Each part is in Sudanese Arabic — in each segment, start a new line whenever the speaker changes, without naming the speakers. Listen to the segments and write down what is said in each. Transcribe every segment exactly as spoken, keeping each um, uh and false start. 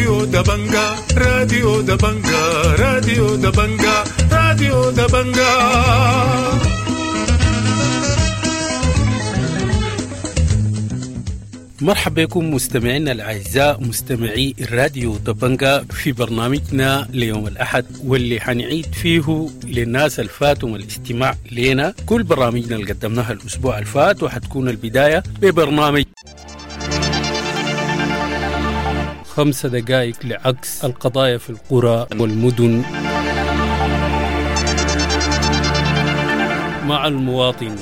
راديو دبنجا راديو دبنجا راديو دبنجا راديو دبنجا.
مرحبا بكم مستمعينا الأعزاء مستمعي الراديو دبنجا في برنامجنا ليوم الأحد، واللي حنعيد فيه للناس الفاتهم الاستماع لنا كل برامجنا اللي قدمناها الأسبوع الفات، وحتكون البداية ببرنامج خمسة دقائق لعكس القضايا في القرى والمدن مع المواطن.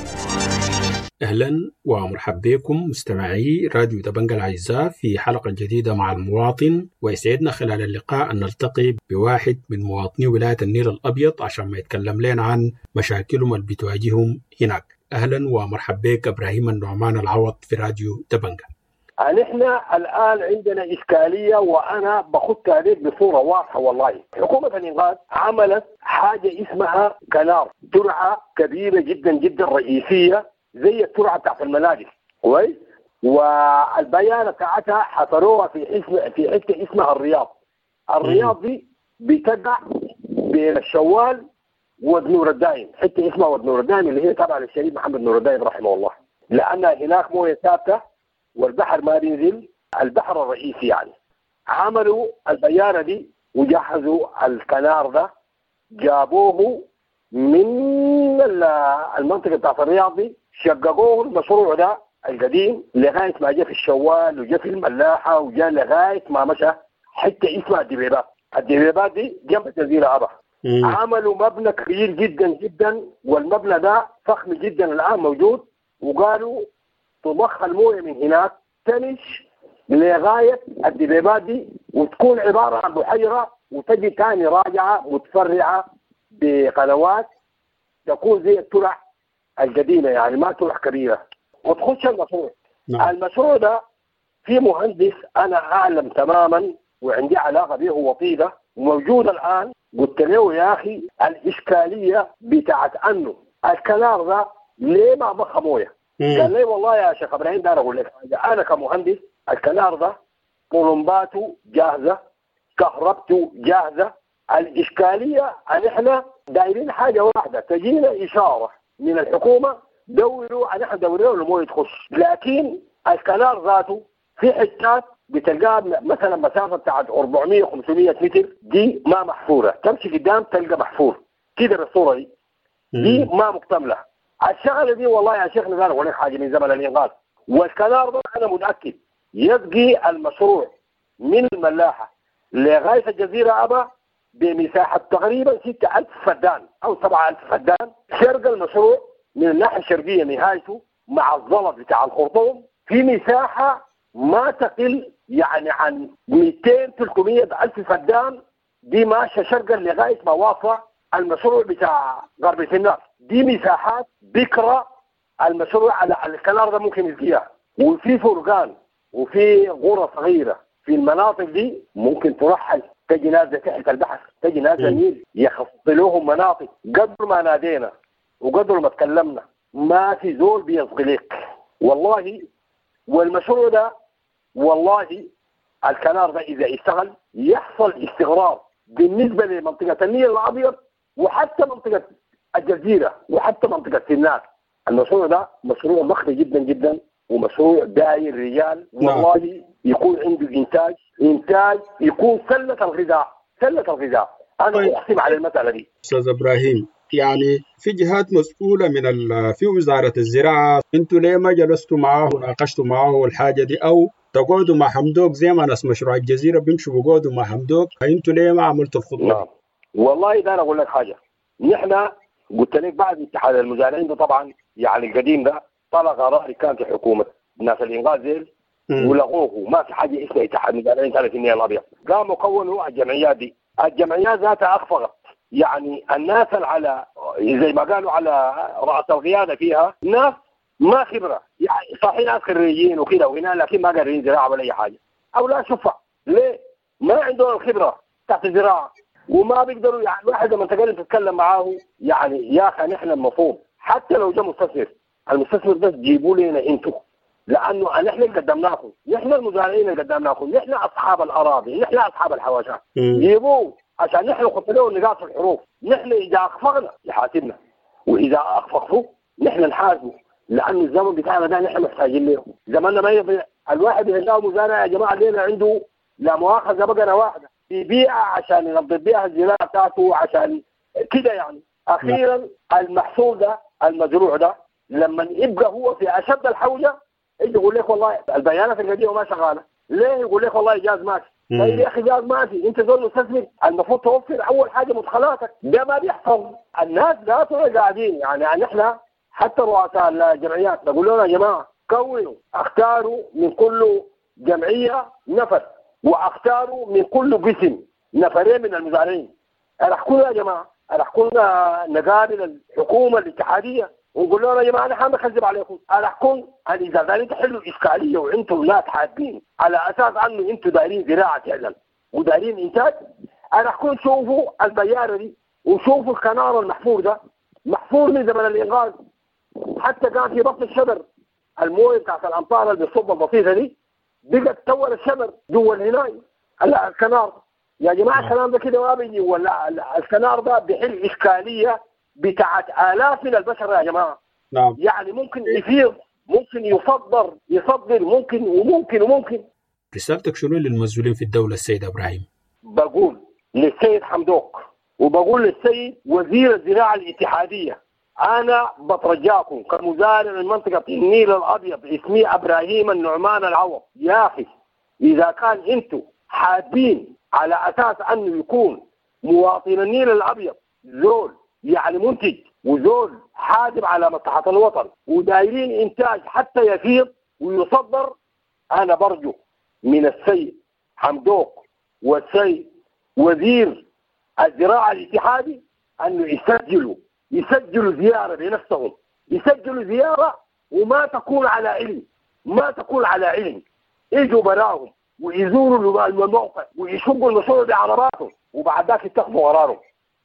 أهلا ومرحبا بكم مستمعي راديو دبنجا الأعزاء في حلقة جديدة مع المواطن، ويسعدنا خلال اللقاء أن نلتقي بواحد من مواطني ولاية النيل الأبيض عشان ما يتكلم لنا عن مشاكلهم اللي بتواجههم هناك. أهلا ومرحبا بك إبراهيم النعمان العوض في راديو دبنجا.
نحن الآن عندنا إشكالية، وأنا بخط عليك بصورة واضحة. والله حكومة الإنقاذ عملت حاجة اسمها كنار، ترعة كبيرة جدا جدا رئيسية زي الترعة بتاعت المناجم، كويس؟ والبيانة بتاعتها حصروها في اسم في حتة اسمها الرياض. الرياض دي بتقع بين الشوال ودنور الدايم، حتة اسمها ودنور الدايم اللي هي تابعة للشهيد محمد نور الدايم رحمه الله، لأن هناك موية ثابتة والبحر ما بينزل، البحر الرئيسي يعني. عملوا البيانة دي وجهزوا الكنار ده، جابوه من المنطقة بتاعت الرياض دي، شققوه المشروع ده القديم لغاية ما جاء في الشوال وجاء في الملاحة وجاء لغاية ما مشى حتى اسمها الدبيبات. الدبيبات دي جنب الجزيرة أبا. عملوا مبنى كبير جدا جدا، والمبنى ده فخم جدا الآن موجود، وقالوا تضخ المويه من هناك تمش لغاية الدبيبات دي وتكون عبارة عن بحيرة، وتجي تاني راجعة متفرعة بقنوات تكون زي الترع القديمة، يعني ما ترع كبيرة، وتخش المشروع. نعم. المشروع ده في مهندس أنا أعلم تماما وعندي علاقة به وطيدة وموجود الآن. قلت له يا أخي الإشكالية بتاعت أنه الكنار ده ليه ما ضخ مويه؟ قال لي والله يا شيخ إبراهيم ده أنا أقول لك حاجة، أنا كمهندس الكنار ده طلمباته جاهزة، كهربته جاهزة، الإشكالية أن إحنا دايرين حاجة واحدة، تجينا إشارة من الحكومة دوروا، أن إحنا دوروا المويه تخش. لكن الكنار ذاته في حتات بتلقاها مثلا مسافة بتاعت أربعمية خمسمية متر دي ما محفورة، تمشي قدام تلقى محفور كده بالصورة دي، دي ما مكتملة. الشغلة دي والله يا شيخ نزار أقول لك حاجة من زمن الإنقاذ، والكنار ده أنا متأكد يبقي المشروع من الملاحة لغاية الجزيرة أبا بمساحة تقريبا ستة ألف فدان أو سبعة ألف فدان. شرق المشروع من الناحية الشرقية نهايته مع الزلط بتاع الخرطوم في مساحة ما تقل يعني عن مئتين ثلاثمية ألف فدان، دي ماشية شرقا لغاية ما واصلة المشروع بتاع غرب النار. دي مساحات بكرة المشروع على الكنار ده ممكن يسقيها، وفي فرقان وفي غرة صغيرة في المناطق دي ممكن ترحل، تجي نازلة تحت البحر، تجي نازلة النيل، يخصلوهم مناطق. قدر ما نادينا وقدر ما تكلمنا ما في زول بيصغلك والله. والمشروع ده والله الكنار ده إذا اشتغل يحصل استغرار بالنسبة لمنطقة النيل الأبيض وحتى منطقة الجزيرة وحتى منطقة سنار. المشروع ده مشروع ضخم جدا جدا ومشروع داير رجال، والله يكون عنده إنتاج، إنتاج يكون سلة الغذاء، سلة الغذاء. أنا طيب. أقسم على المسألة دي
أستاذ إبراهيم، يعني في جهات مسؤولة من ال... في وزارة الزراعة، أنتوا ليه ما جلستوا معاه وناقشتوا معاه الحاجة دي، أو تقعدوا مع حمدوك زي ما ناس مشروع الجزيرة بيمشوا بيقعدوا مع حمدوك، أنتوا ليه ما عملتوا الخطوة؟
نعم والله ده أنا أقول لك حاجة، نحن قلت لك بعد اتحاد المزارعين ده طبعا يعني القديم ده طلع قرار كان في حكومة ناس الإنقاذ زي ولغوه، ما في حاجة اسمها اتحاد مزارعين ثلاث النيل الأبيض. قاموا كونوا الجمعيات دي، الجمعيات ذاتها أخفقت، يعني الناس على زي ما قالوا على رأس القيادة فيها ناس ما خبرة، يعني صحيح ناس خريجين وكده وهنا، لكن ما قارين زراعة ولا أي حاجة أو لا شفع. ليه؟ ما عندهم الخبرة تحت الزراعة وما بيقدروا. يعني الواحد لما تقدر تتكلم معاه يعني يا أخي نحن المفروض حتى لو جاء مستثمر، المستثمر ده جيبوا لنا انتوا، لانه نحن اللي قدمناكم، نحن المزارعين اللي قدمناكم، نحن اصحاب الاراضي، نحن اصحاب الحواشات، جيبوه عشان نحن نحط له النقاط في الحروف. نحن اذا اخفقنا يحاسبنا، واذا اخفقوا نحن نحاسبه، لانه الزمن بتاعنا ده نحن محتاجين له، زماننا ما يضيع. الواحد اللي مزارع يا جماعة لينا عنده لا مؤاخذة بقرة واحدة يبيعها عشان ينظف بيها الزراعة بتاعته عشان كده يعني. اخيرا المحصول ده المزروع ده لما يبقى هو في اشد الحوجه يجي يقول لك والله البيانات القديمة ما شغالة، ليه؟ يقول لك والله جاز ماشي. طيب يا اخي جاز ماشي، انت زول مستثمر المفروض توفر اول حاجة مدخلاتك، ده ما بيحصل. الناس ذاتهم قاعدين يعني نحن حتى رؤساء الجمعيات نقول لهم يا جماعة كونوا اختاروا من كل جمعية نفر، واختاروا من كل قسم نفرين من المزارعين. راح يا جماعة راح كنا نقابل الحكومة الاتحادية ونقول لهم يا جماعة نحن نكذب عليكم، راح كون اذا دايرين تحلوا الاشكالية وانتم ناس حابين على اساس انه انتم دايرين زراعة فعلا ودايرين انتاج، راح كون شوفوا البياره دي وشوفوا الكنار المحفور ده، محفور من زمن الانقاذ، حتى كان في بطن الشجر المويه بتاعت الامطار اللي بتصب البسيطة دي بقت تور الشجر جوا الهناي الكنار. يا جماعة الكلام ده كده ما بيجي، ولا الكنار ده بيحل اشكالية بتاعت الاف من البشر يا جماعة.
نعم.
يعني ممكن يفيض، ممكن يصدر يصدر ممكن وممكن وممكن.
رسالتك شنو للمسؤولين في الدولة السيد ابراهيم؟
بقول للسيد حمدوك وبقول للسيد وزير الزراعة الاتحادية، انا بترجاكم كمزارع من منطقة النيل الابيض اسمي ابراهيم النعمان العوض، يا اخي اذا كان انتم حابين على اساس انه يكون مواطن النيل الابيض زول يعني منتج وزول حادب على مصلحة الوطن ودايرين انتاج حتى يفيض ويصدر، انا برجو من السيد حمدوك والسيد وزير الزراعة الاتحادي انه يسجلوا يسجلوا زيارة بنفسهم، يسجلوا زيارة وما تكون على علم، ما تكون على علم، يجوا براهم ويزوروا الموقع ويشقوا المشروع بعرباتهم وبعد ذاك يتخذوا قرارهم.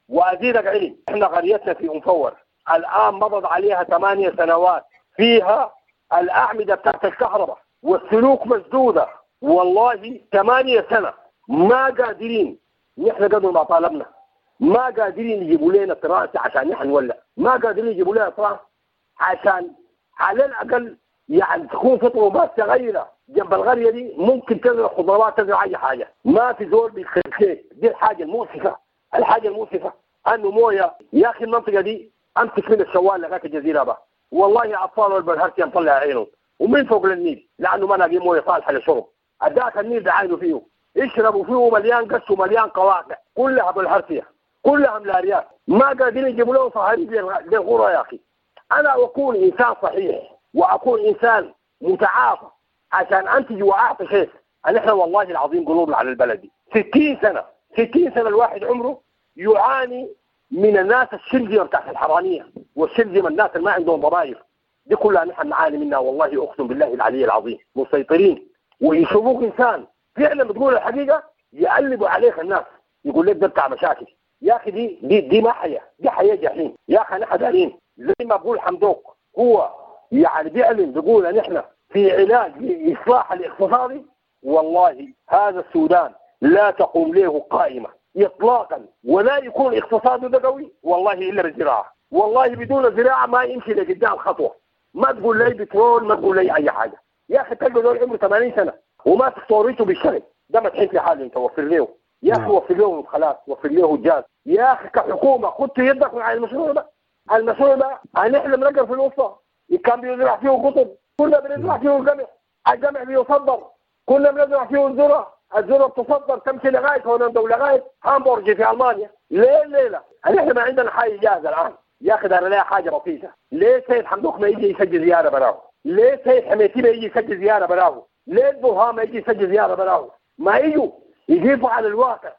وازيدك علم، احنا قريتنا في ام فور الان مضت عليها ثمانية سنوات فيها الاعمدة بتاعت الكهرباء والسلوك مسدودة، والله ثمانية سنة ما قادرين نحن قدر ما طالبنا، ما قادرين يجيبوا لنا تراسه عشان نحن نولع، ما قادرين يجيبوا لنا تراس عشان على الاقل يعني تكون في طرمبات صغيرة جنب القرية دي ممكن تزرع خضروات تزرع اي حاجة، ما في زول بيخليك. دي الحاجة المؤسفة، الحاجة المؤسفة انه مويه يا اخي المنطقة دي امسك من الشوال لغاية الجزيرة بقى، والله اطفال والبلهرسي مطلع عينهم ومن فوق للنيل لانه ما لاقي مويه صالحه للشرب، اداك النيل بعينه فيه يشربوا فيه مليان قش ومليان قواقع كلها بالهرسيه كلها ملاريات، ما قادرين يجيبوا لهم صهاريج للغرى يا اخي. انا اكون انسان صحيح واكون انسان متعاطى عشان انتج واعطي خير. نحن والله العظيم قلوبنا على البلد دي ستين سنة، ستين سنة الواحد عمره يعاني من الناس الشرذمه بتاعت الحرامية والشرذمه الناس اللي ما عندهم ضماير دي كلها نحن نعاني منها والله اقسم بالله العلي العظيم. مسيطرين ويشوفوك انسان فعلا بتقول الحقيقة يقلبوا عليك الناس، يقول لك ده بتاع مشاكل. يا اخي دي دي دي ما حياة، دي حياة جحيم يا اخي. نحن دارين زي ما بقول حمدوك هو يعني بيعلن بيقول نحن في علاج لإصلاح الاقتصادي، والله هذا السودان لا تقوم له قائمة إطلاقا ولا يكون اقتصاده ده قوي والله إلا بالزراعة، والله بدون زراعة ما يمشي لقدام خطوة. ما تقول لي بترول، ما تقول لي أي حاجة يا أخي. تلقى دول عمره ثمانين سنة وما توريته بالشغل ده، ما تحس في حاله أنت وفر له يا أخي، وفر له مدخلات، وفر له جاز يا أخي. كحكومة خدت يدك من على المشروع ده، المشروع ده نحن بنقر في الوسطى كان بيزرع فيه قطن، كنا بنزرع فيه القمح، القمح بيصدر، كنا بنزرع فيه الذرة، الذرة بتصدر تمشي لغاية هولندا ولغاية هامبورج في المانيا. ليه الليلة؟ نحن ما عندنا حاجة جاهزة الان يا اخي. دار لها حاجة بسيطة. ليه سيد حمدوك ما يجي يسجل زيارة براه؟ ليه سيد حميتي ما يجي يسجل زيارة براه؟ ليه البرهان ما يجي يسجل زيارة براه؟ ما يجوا يجيبوا على الواقع.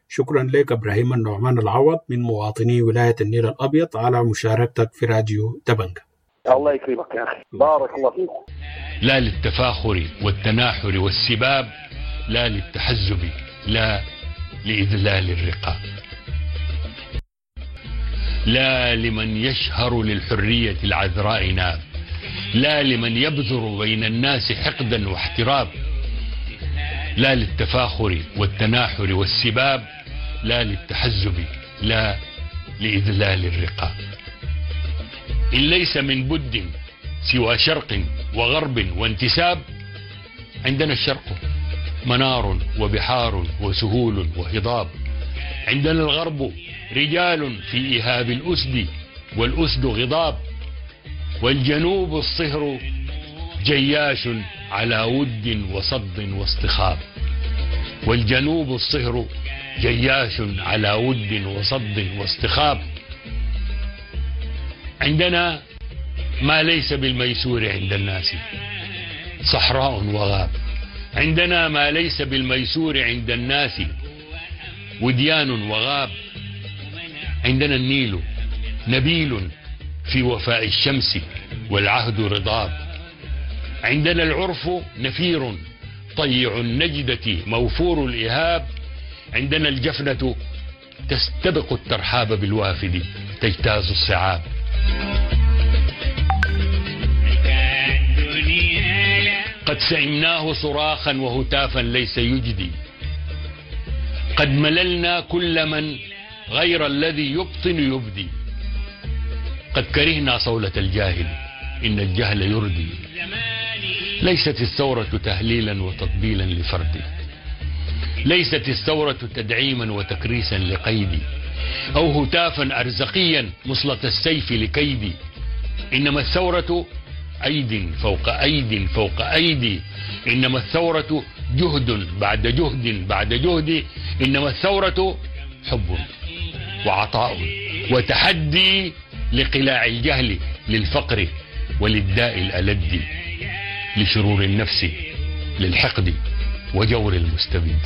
شكرا لك ابراهيم النعمان العوض من مواطني ولاية النيل الابيض على مشاركتك في راديو دبنجة.
الله يكرمك يا أخي، بارك الله فيك.
لا للتفاخر والتناحر والسباب، لا للتحزب، لا لإذلال الرقاب، لا لمن يشهر للحرية العذراء ناب، لا لمن يبذر بين الناس حقدا واحتراب. لا للتفاخر والتناحر والسباب، لا للتحزب، لا لإذلال الرقاب. إن ليس من بد سوى شرق وغرب وانتساب، عندنا الشرق منار وبحار وسهول وهضاب. عندنا الغرب رجال في إيهاب الأسد والأسد غضاب. والجنوب الصهر جياش على ود وصد واصطخاب. والجنوب الصهر جياش على ود وصد واصطخاب. عندنا ما ليس بالميسور عند الناس صحراء وغاب. عندنا ما ليس بالميسور عند الناس وديان وغاب. عندنا النيل نبيل في وفاء الشمس والعهد رضاب. عندنا العرف نفير طيع النجدة موفور الإهاب. عندنا الجفنة تستبق الترحاب بالوافد تجتاز الصعاب. قد سئمناه صراخا وهتافا ليس يجدي. قد مللنا كل من غير الذي يبطن يبدي. قد كرهنا صولة الجاهل إن الجهل يردي. ليست الثورة تهليلا وتطبيلا لفرد. ليست الثورة تدعيما وتكريسا لقيدي، أو هتافا أرزقيا مصلة السيف لكيدي. إنما الثورة أيد فوق أيد فوق أيدي. إنما الثورة جهد بعد جهد بعد جهد. إنما الثورة حب وعطاء وتحدي لقلاع الجهل، للفقر وللداء الألد، لشرور النفس، للحقد وجور المستبد.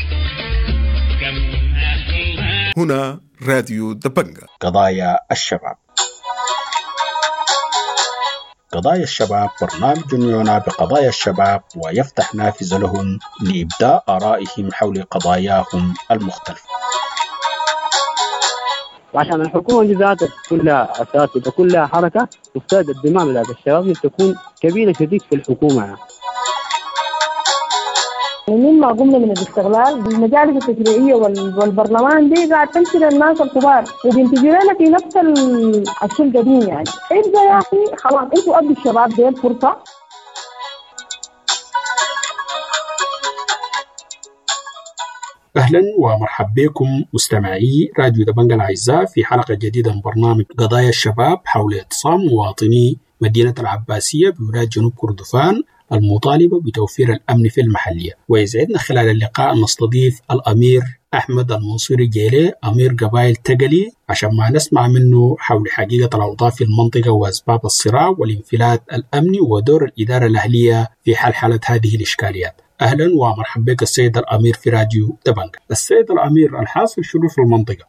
هنا راديو دبنجة.
قضايا الشباب. قضايا الشباب برنامج يعنى بقضايا الشباب ويفتح نافذة لهم لإبداء آرائهم حول قضاياهم المختلفة.
وعشان الحكومة دي ذاتها كلها أساتذة كلها حركة، تفترض الدماء بتاعت الشباب تكون كبيرة شديد في الحكومة يعني.
مما قمنا من الاستغلال المجالس التشريعية والبرلمان دي قاعد تمشي للناس الكبار وبينتجوا لنا في نفس الشيء القديم يعني. ابدا يا اخي خلاص انتوا ادوا الشباب دي فرصة.
أهلا ومرحبا بكم مستمعي راديو دبنجة الأعزاء في حلقة جديدة من برنامج قضايا الشباب حول اعتصام مواطني مدينة العباسية بولاية جنوب كردفان المطالبة بتوفير الأمن في المحلية. ويسعدنا خلال اللقاء أن نستضيف الأمير أحمد المنصوري جيلي أمير قبائل تقلي عشان ما نسمع منه حول حقيقة الأوضاع في المنطقة وأسباب الصراع والانفلات الأمني ودور الإدارة الأهلية في حل هذه الإشكاليات. أهلا ومرحبا بك السيد الأمير في راديو دبنجة. السيد الأمير، الحاصل شنو في المنطقة؟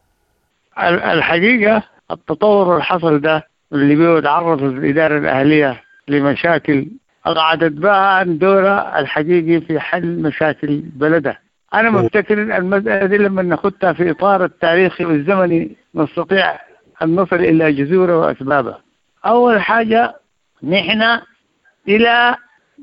الحقيقة التطور الحصل ده اللي بيتعرض الإدارة الأهلية لمشاكل أقعدت بها عن دورها الحقيقي في حل مشاكل بلدها. أنا مفتكر المسألة دي لما ناخدها في إطار التاريخي والزمني نستطيع أن نصل إلى جذورها وأسبابها. أول حاجة، نحن إلى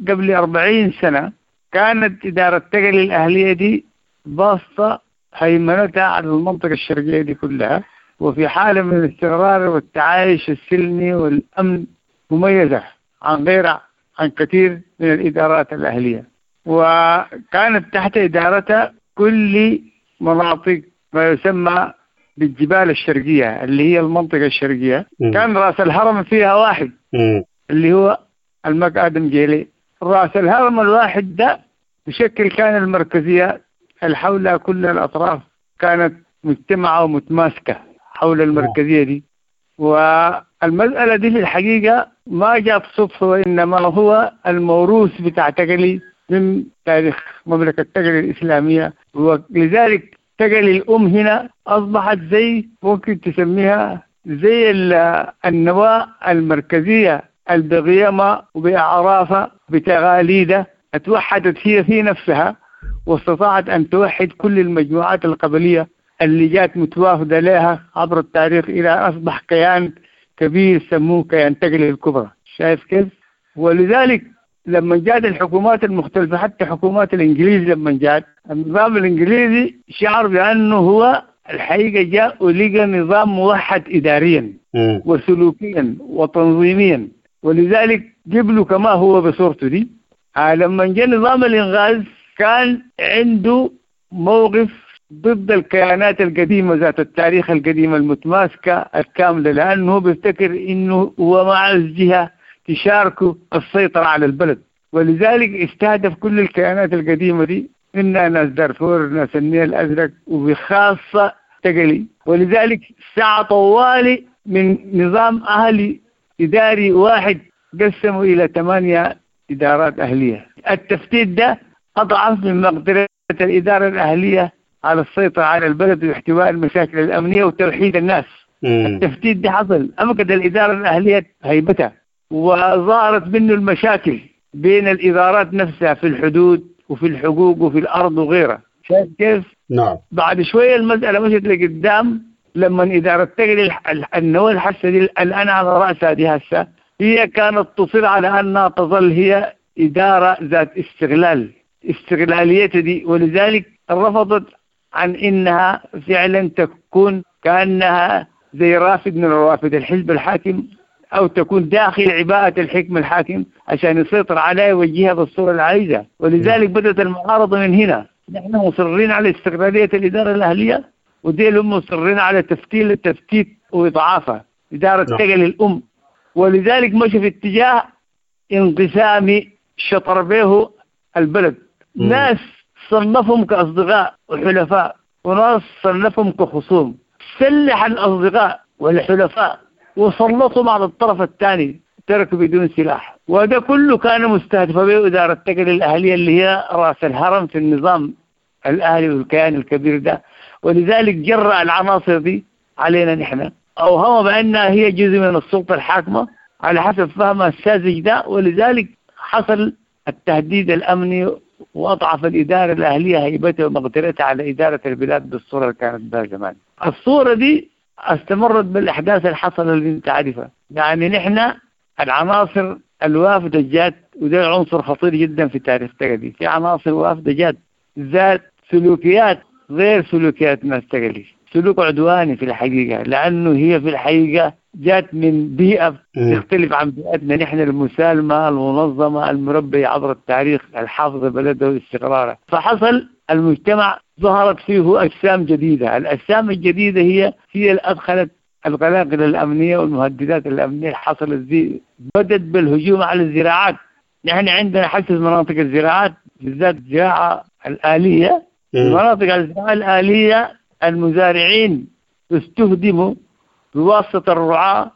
قبل أربعين سنة كانت إدارة تقلي الأهلية دي باسطة هيمنتها على المنطقة الشرقية دي كلها، وفي حالة من الاستقرار والتعايش السلمي والأمن مميزة عن غيرها عن كثير من الإدارات الأهلية، وكانت تحت إدارتها كل مناطق ما يسمى بالجبال الشرقية اللي هي المنطقة الشرقية. م. كان رأس الهرم فيها واحد م. اللي هو المك آدم جيلي. رأس الهرم الواحد ده بشكل كان المركزية اللي حولها كل الأطراف كانت مجتمعة ومتماسكة حول المركزية دي. والمسألة دي في الحقيقة ما جاءت صدفة، وإنما هو الموروث بتاع تقلي من تاريخ مملكة تقلي الإسلامية، ولذلك تقلي الأم هنا أصبحت زي ممكن تسميها زي النواة المركزية بقيمها وبأعرافها بتغاليدها اتوحدت هي في نفسها، واستطاعت أن توحد كل المجموعات القبلية اللي جات متوافدة لها عبر التاريخ إلى أصبح كيان كبير سموه كيان تقلي الكبرى. شايف كيف؟ ولذلك لما جاءت الحكومات المختلفة، حتى حكومات الإنجليز لما جاءت، النظام الإنجليزي شعر بأنه هو الحقيقة جاء ولقى نظام موحد إداريا وسلوكيا وتنظيميا، ولذلك قبله كما هو بصورته دي. لما جاء نظام الإنغاز كان عنده موقف ضد الكيانات القديمة ذات التاريخ القديم المتماسكة الكاملة، لأنه بيفتكر إنه هو مع الجهة تشاركه السيطرة على البلد، ولذلك استهدف كل الكيانات القديمة دي، منها ناس دارفور، ناس النيل الأزرق، وبخاصة تقلي. ولذلك سعى طوالي من نظام أهلي إداري واحد قسموا إلى ثمانية إدارات أهلية. التفتيت ده أضعف من مقدرة الإدارة الأهلية على السيطرة على البلد واحتواء المشاكل الأمنية وتوحيد الناس. مم. التفتيت ده حصل، أمكن الإدارة الأهلية هيبتها، وظهرت منه المشاكل بين الإدارات نفسها في الحدود وفي الحقوق وفي الأرض وغيرها. شايف كيف؟
نعم.
بعد شوية المسألة مشت لقدام لما إدارة تقلي النواة الحسة دي الآن على رأسها دي هسه، هي كانت تصر على أنها تظل هي إدارة ذات استغلال، استغلاليتها دي، ولذلك رفضت عن إنها فعلا تكون كأنها زي رافد من روافد الحزب الحاكم، أو تكون داخل عباءة الحكم الحاكم عشان يسيطر عليها ويوجهها بالصورة العايزة. ولذلك بدأت المعارضة من هنا. نحن مصرين على استقلالية الإدارة الأهلية، وديل هم مصرين على تفتيل التفتيت وإضعافها، إدارة تقل الأم. ولذلك مشى في اتجاه انقسامي شطر به البلد. مم. ناس صنفهم كأصدقاء وحلفاء، وناس صنفهم كخصوم. سلح الأصدقاء والحلفاء وسلطهم على الطرف الثاني، تركوا بدون سلاح. وهذا كله كان مستهدف به إدارة تقل الأهلية اللي هي رأس الهرم في النظام الأهلي والكيان الكبير ده. ولذلك جرأ العناصر دي علينا نحن، أوهم بأنها هي جزء من السلطة الحاكمة على حسب فهمها الساذج ده. ولذلك حصل التهديد الأمني وأضعف الإدارة الأهلية هيبتها ومقدرتها على إدارة البلاد بالصورة اللي كانت بها زمان. الصورة دي استمرت بالأحداث اللي حصلت اللي انت عارفها. يعني نحن العناصر الوافدة جات، وده عنصر خطير جدا في تاريخ تقلي. في عناصر وافدة جات ذات سلوكيات غير سلوكيات ناس تقلي، سلوك عدواني في الحقيقة، لأنه هي في الحقيقة جات من بيئة تختلف عن بيئتنا نحن المسالمة المنظمة المربية عبر التاريخ الحافظة بلده واستقراره. فحصل المجتمع ظهرت فيه أجسام جديدة. الأجسام الجديدة هي هي اللي أدخلت القلاقل الأمنية والمهددات الأمنية اللي حصلت دي. بدت بالهجوم على الزراعات. نحن عندنا حسس مناطق الزراعات، بالذات الزراعة الآلية. مناطق الزراعة الآلية المزارعين استهدموا بواسطة الرعاة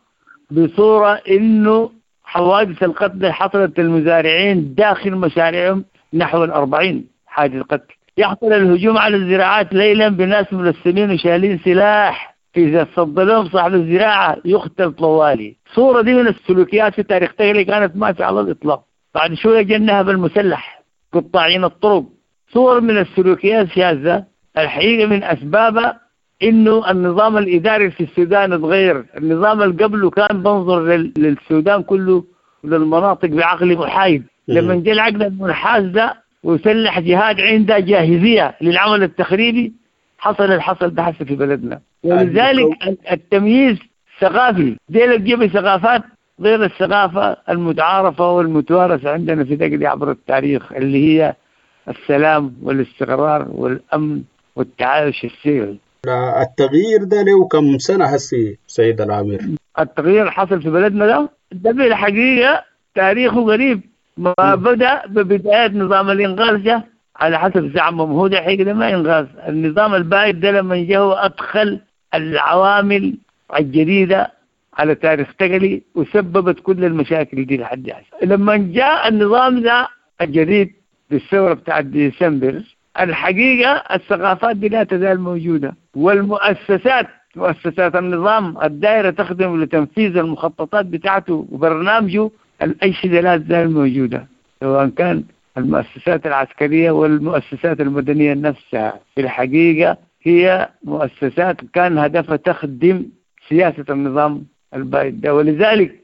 بصورة إنه حوادث القتل حصلت للمزارعين داخل مشاريعهم نحو الأربعين حادث قتل. يحصل الهجوم على الزراعات ليلا بناس ملثمين وشالين سلاح، إذا صد لهم صاحب الزراعة يقتل طوالي. صورة دي من السلوكيات في تاريخ تغلي كانت ما في على الإطلاق. بعد شوية جنها بالمسلح قطاعين الطرق. صور من السلوكيات شاذة الحقيقة من أسبابها إنه النظام الإداري في السودان تغير. النظام اللي قبله كان بنظر للسودان كله وللمناطق بعقل محايد. لما جاء العقل المنحاز ده وسلح جهاد عنده جاهزية للعمل التخريبي، حصل الحصل ده حصل في بلدنا. ولذلك التمييز ثقافي ديل تجيب ثقافات غير الثقافة المتعارفة والمتوارثة عندنا في تقلي عبر التاريخ، اللي هي السلام والاستقرار والأمن والتعايش السلمي.
التغيير ده له كم سنة هسي سيد العمير؟
التغيير حصل في بلدنا ده ده في الحقيقة تاريخه غريب. ما بدأ ببداية نظام الإنغاز ده على حسب زعمهم، هو ده حقيقة ما إنغاز. النظام البائد ده لما جاء أدخل العوامل الجديدة على تاريخ تقلي وسببت كل المشاكل دي لحد هسه. لما جاء النظام ده الجديد بالثورة بتاع ديسمبر، الحقيقة الثقافات دي لا تزال موجودة، والمؤسسات مؤسسات النظام الدائرة تخدم لتنفيذ المخططات بتاعته وبرنامجه، الأجهزة لا تزال موجودة، سواء كان المؤسسات العسكرية والمؤسسات المدنية نفسها. في الحقيقة هي مؤسسات كان هدفها تخدم سياسة النظام البائد ده. ولذلك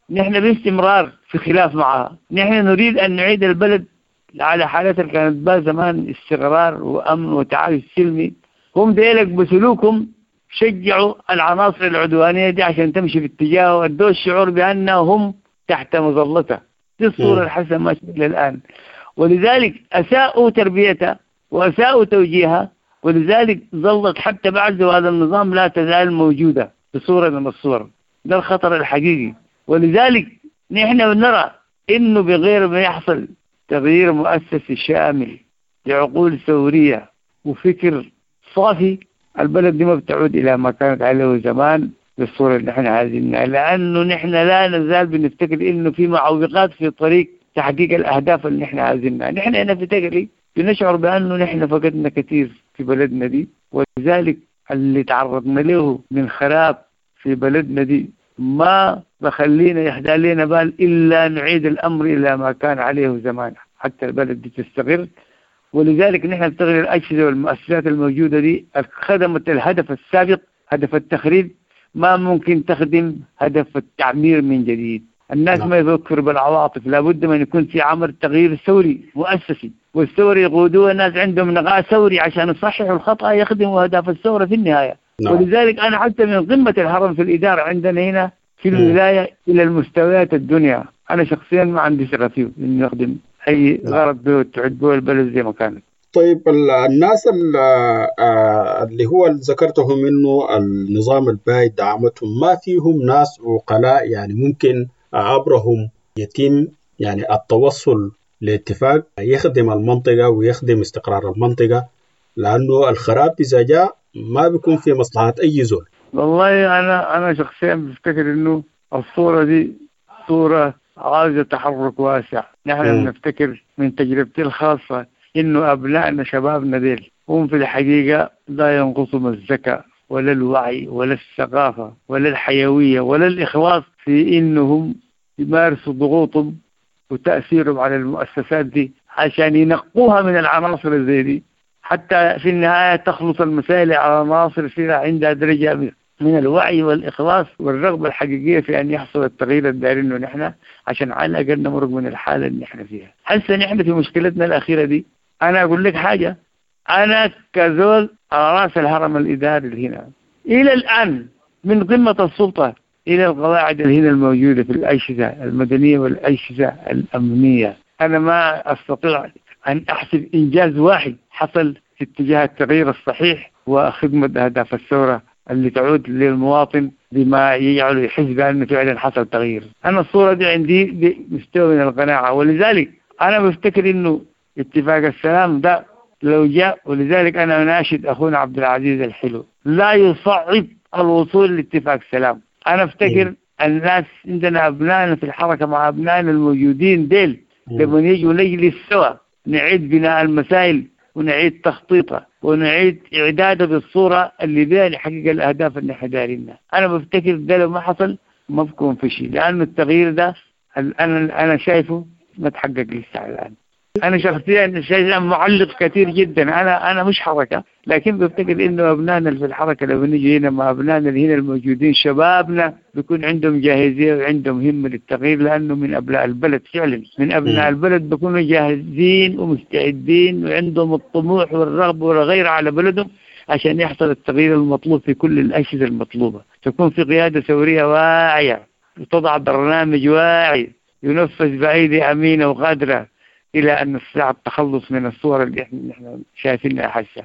نحن باستمرار في خلاف معها. نحن نريد أن نعيد البلد على حالتها اللي كانت بها زمان، استقرار وأمن وتعايش سلمي. هم ديلك بسلوكهم شجعوا العناصر العدوانية دي عشان تمشي في اتجاهه، وادوا الشعور بأنهم تحت مظلتها. دي الصورة الحسنة ماشية إلى الآن، ولذلك أساءوا تربيتها وأساءوا توجيهها، ولذلك ظلت حتى بعد زوال النظام لا تزال موجودة بصورة من الصور. ده الخطر الحقيقي. ولذلك نحن نرى إنه بغير ما يحصل تغيير مؤسسي شامل لعقول ثورية وفكر صافي، البلد دي ما بتعود إلى ما كانت عليه زمان بالصورة اللي نحن عايزينها، لأنه نحن لا نزال بنفتكر إنه في معوقات في طريق تحقيق الأهداف اللي نحن عايزينها. نحن هنا في تقري بنشعر بأنه نحن فقدنا كثير في بلدنا دي، ولذلك اللي تعرضنا له من خراب في بلدنا دي ما بخلينا يحدى لنا بال إلا نعيد الأمر إلى ما كان عليه زمان حتى البلد دي تستقر. ولذلك نحن نستغل الأجهزة والمؤسسات الموجودة دي خدمت الهدف السابق، هدف التخريب، ما ممكن تخدم هدف التعمير من جديد. الناس ما يفكروا بالعواطف، لابد من يكون في عمل تغيير ثوري مؤسسي، والثوري يقودوه الناس عندهم نقاء ثوري عشان يصححوا الخطأ يخدموا أهداف الثورة في النهاية. نعم. ولذلك أنا حتى من قمة الهرم في الإدارة عندنا هنا في الولاية إلى المستويات الدنيا، أنا شخصيا ما عندي ثقة فيه إنه يخدم أي غرض به تعد به البلد زي ما كانت.
طيب الناس اللي هو ذكرتهم إنه النظام البايد دعمتهم، ما فيهم ناس عقلاء يعني ممكن عبرهم يتم يعني التوصل لاتفاق يخدم المنطقة ويخدم استقرار المنطقة، لأنه الخراب إذا جاء ما بيكون في مصلحة أي زول.
والله أنا أنا شخصيا بفتكر إنه الصورة دي صورة عاوزة تحرك واسع. نحن بنفتكر من تجربتي الخاصة إنه أبنائنا شبابنا ديل هم في الحقيقة لا ينقصهم الذكاء ولا الوعي ولا الثقافة ولا الحيوية ولا الإخلاص في إنهم يمارسوا ضغوطهم وتأثيرهم على المؤسسات دي عشان ينقوها من العناصر زي دي، حتى في النهاية تخلص المسائل على عناصر فيها عندها درجة من الوعي والإخلاص والرغبة الحقيقية في أن يحصل التغيير الدارينه نحن، عشان على الأقل نمرق من الحالة اللي نحن فيها. حسا نحن في مشكلتنا الأخيرة دي، أنا أقول لك حاجة، أنا كزول على رأس الهرم الإداري اللي هنا إلى الآن من قمة السلطة إلى القواعد اللي هنا الموجودة في الأجهزة المدنية والأجهزة الأمنية، أنا ما أستطيع أن أحسب إنجاز واحد حصل في اتجاه التغيير الصحيح وخدمة أهداف الثورة اللي تعود للمواطن بما يجعله يحس بأنه فعلا حصل تغيير. أنا الصورة دي عندي بمستوى من القناعة، ولذلك أنا بفتكر إنه اتفاق السلام ده لو جاء، ولذلك أنا أناشد أخونا عبد العزيز الحلو لا يصعب الوصول لاتفاق سلام. أنا أفتكر الناس عندنا أبنائنا في الحركة مع أبنائنا الموجودين ديل لما يجوا نجلس سوا نعيد بناء المسائل ونعيد تخطيطها ونعيد إعدادها بالصورة اللي بها لحقيقة الأهداف اللي احنا دارينها. أنا بفتكر ده لو ما حصل ما بكون في شيء، لأنه التغيير ده أنا أنا شايفه ما تحقق لسه الآن. أنا شخصيا شيء معلق كثير جدا، أنا أنا مش حركة، لكن بفتكر إنه أبنائنا في الحركة لو نيجي هنا مع أبنائنا اللي هنا الموجودين شبابنا بيكون عندهم جاهزية وعندهم همة للتغيير، لأنه من أبناء البلد فعلا، من أبناء البلد بيكونوا جاهزين ومستعدين وعندهم الطموح والرغبة والغيرة على بلدهم عشان يحصل التغيير المطلوب في كل الأجهزة المطلوبة. تكون في قيادة ثورية واعية وتضع برنامج واعي ينفذ بأيدي أمينة وقادرة إلى أن نستطيع التخلص من الصور اللي احنا نحن شايفينها حسا،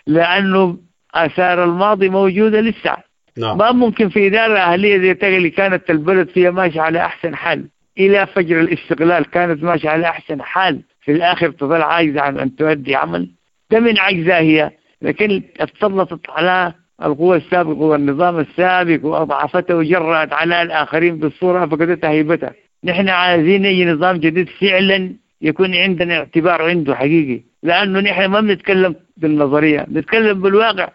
لأنه آثار الماضي موجودة لسه. نعم. ما ممكن في إدارة أهلية زي تغلي كانت البلد فيها ماشية على أحسن حال إلى فجر الاستقلال، كانت ماشية على أحسن حال، في الآخر تظل عاجزة عن أن تؤدي عمل، ده من عجزها هي، لكن تسلطت على القوى السابقة والنظام السابق وأضعفته وجرأت على الآخرين بالصورة فقدتها هيبتها. نحن عايزين أي نظام جديد فعلا يكون عندنا اعتبار عنده حقيقي، لأنه نحن ما بنتكلم بالنظرية، بنتكلم بالواقع.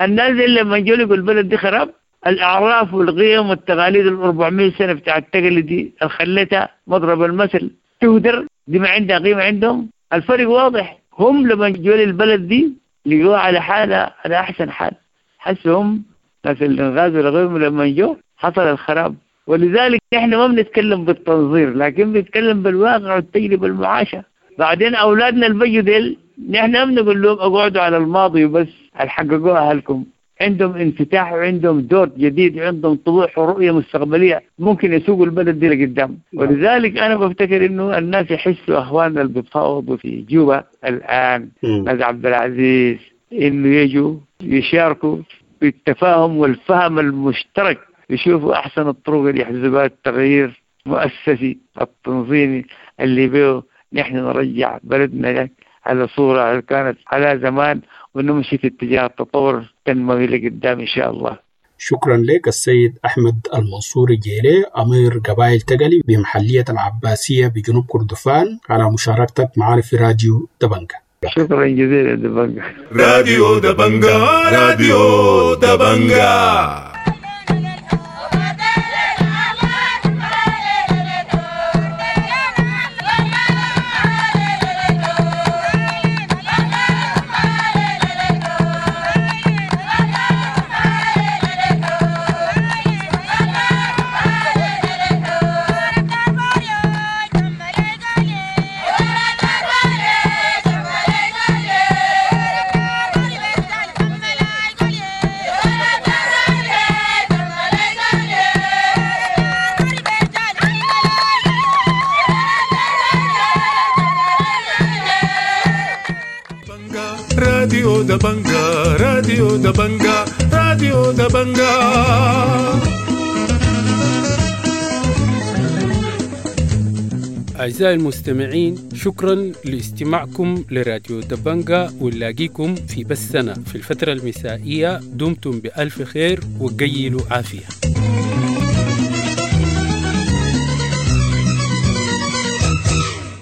الناس اللي لما يجوا البلد دي خراب، الأعراف والقيم والتقاليد ال أربعمية سنة بتاع التقليد دي خلتها مضرب المثل تهدر، دي ما عندها قيمة عندهم. الفرق واضح، هم لما جوا البلد دي لقوها على حالة على أحسن حال، حسوا هم ناس الإنغاز والغيرهم لما جو حصل الخراب. ولذلك احنا ما بنتكلم بالتنظير، لكن بنتكلم بالواقع والتجربة المعاشة. بعدين أولادنا البيجوا ديل نحن ما بنقول لهم اقعدوا على الماضي وبس، حققوها أهلكم. عندهم انفتاح وعندهم دور جديد وعندهم طموح ورؤية مستقبلية ممكن يسوقوا البلد دي لقدام. ولذلك أنا بفتكر إنه الناس يحسوا، أخواننا اللي بيتفاوضوا في جوبا الآن، ناس عبد العزيز، إنه يجوا يشاركوا في التفاهم والفهم المشترك، يشوفوا أحسن الطرق اللي يحزبها التغيير المؤسسي التنظيمي اللي بيه نحن نرجع بلدنا على صورة كانت على زمان، ونمشي في اتجاه التطور التنموي لقدام إن شاء الله.
شكرا لك السيد أحمد المنصور الجيلي، أمير قبائل تقلي بمحلية العباسية بجنوب كردفان، على مشاركتك معنا في راديو دبنجة.
شكرا جزيلا دبنجة.
راديو دبنجة، راديو دبنجة. راديو دبنجة، راديو دبنجة، راديو دبنجة.
أعزائي المستمعين، شكرا لاستماعكم لراديو دبنجة، ونلاقيكم في بثنا في الفترة المسائية. دمتم بألف خير وقيلوا عافية.